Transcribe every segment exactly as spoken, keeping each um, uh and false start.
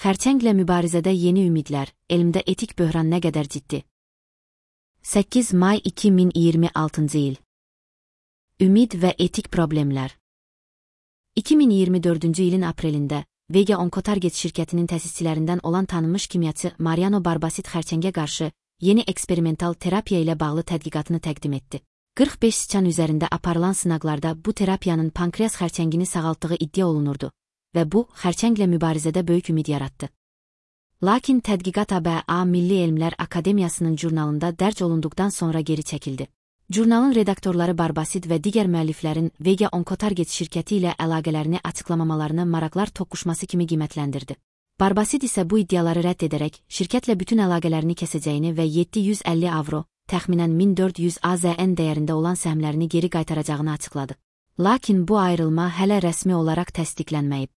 Xərçənglə mübarizədə yeni ümidlər, elmdə etik böhran nə qədər ciddi? səkkiz may iki min iyirmi altıncı il. Ümid və etik problemlər. iki min iyirmi dördüncü ilin aprelində Vega Oncotarget şirkətinin təsisçilərindən olan tanınmış kimyaçı Mariano Barbasit xərçəngə qarşı yeni eksperimental terapiya ilə bağlı tədqiqatını təqdim etdi. qırx beş siçan üzərində aparılan sınaqlarda bu terapiyanın pankreas xərçəngini sağaltdığı iddia olunurdu və bu, xərçənglə mübarizədə böyük ümid yaratdı. Lakin tədqiqat A B A Milli Elmlər Akademiyasının jurnalında dərc olunduqdan sonra geri çəkildi. Jurnalın redaktorları Barbasit və digər müəlliflərin Vega Oncotarget şirkəti ilə əlaqələrini açıqlamamalarını maraqlar toqquşması kimi qiymətləndirdi. Barbasit isə bu iddiaları rədd edərək, şirkətlə bütün əlaqələrini kəsəcəyini və yeddi yüz əlli avro, təxminən min dörd yüz AZN dəyərində olan səhmlərini geri qaytaracağını açıqladı. Lakin bu ayrılma hələ rəsmi olaraq təsdiqlənməyib.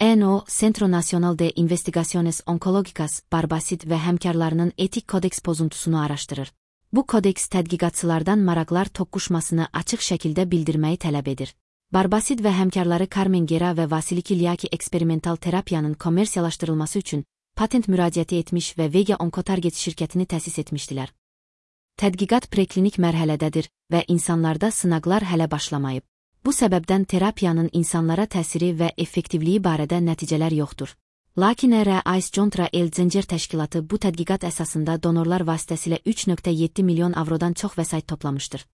N O Centro Nacional de Investigaciones Oncológicas Barbasit və həmkarlarının etik kodeks pozuntusunu araşdırır. Bu kodeks tədqiqatçılardan maraqlar toqquşmasını açıq şəkildə bildirməyi tələb edir. Barbasit və həmkarları Carmen Gera və Vasili Kilyaki eksperimental terapiyanın kommersiyalaşdırılması üçün patent müraciəti etmiş və Vega Oncotarget şirkətini təsis etmişdilər. Tədqiqat preklinik mərhələdədir və insanlarda sınaqlar hələ başlamayıb. Bu səbəbdən terapiyanın insanlara təsiri və effektivliyi barədə nəticələr yoxdur. Lakin R I Contra El Zəncir təşkilatı bu tədqiqat əsasında donorlar vasitəsilə üç nöqtə yeddi milyon avrodan çox vəsait toplamışdır.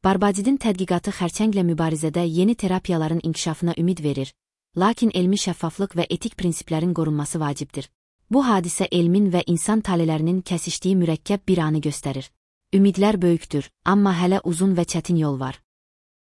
Barbadidin tədqiqatı xərçənglə mübarizədə yeni terapiyaların inkişafına ümid verir, lakin elmi şəffaflıq və etik prinsiplərin qorunması vacibdir. Bu hadisə elmin və insan talelərinin kəsişdiyi mürəkkəb bir anı göstərir. Ümidlər böyükdür, amma hələ uzun və çətin yol var.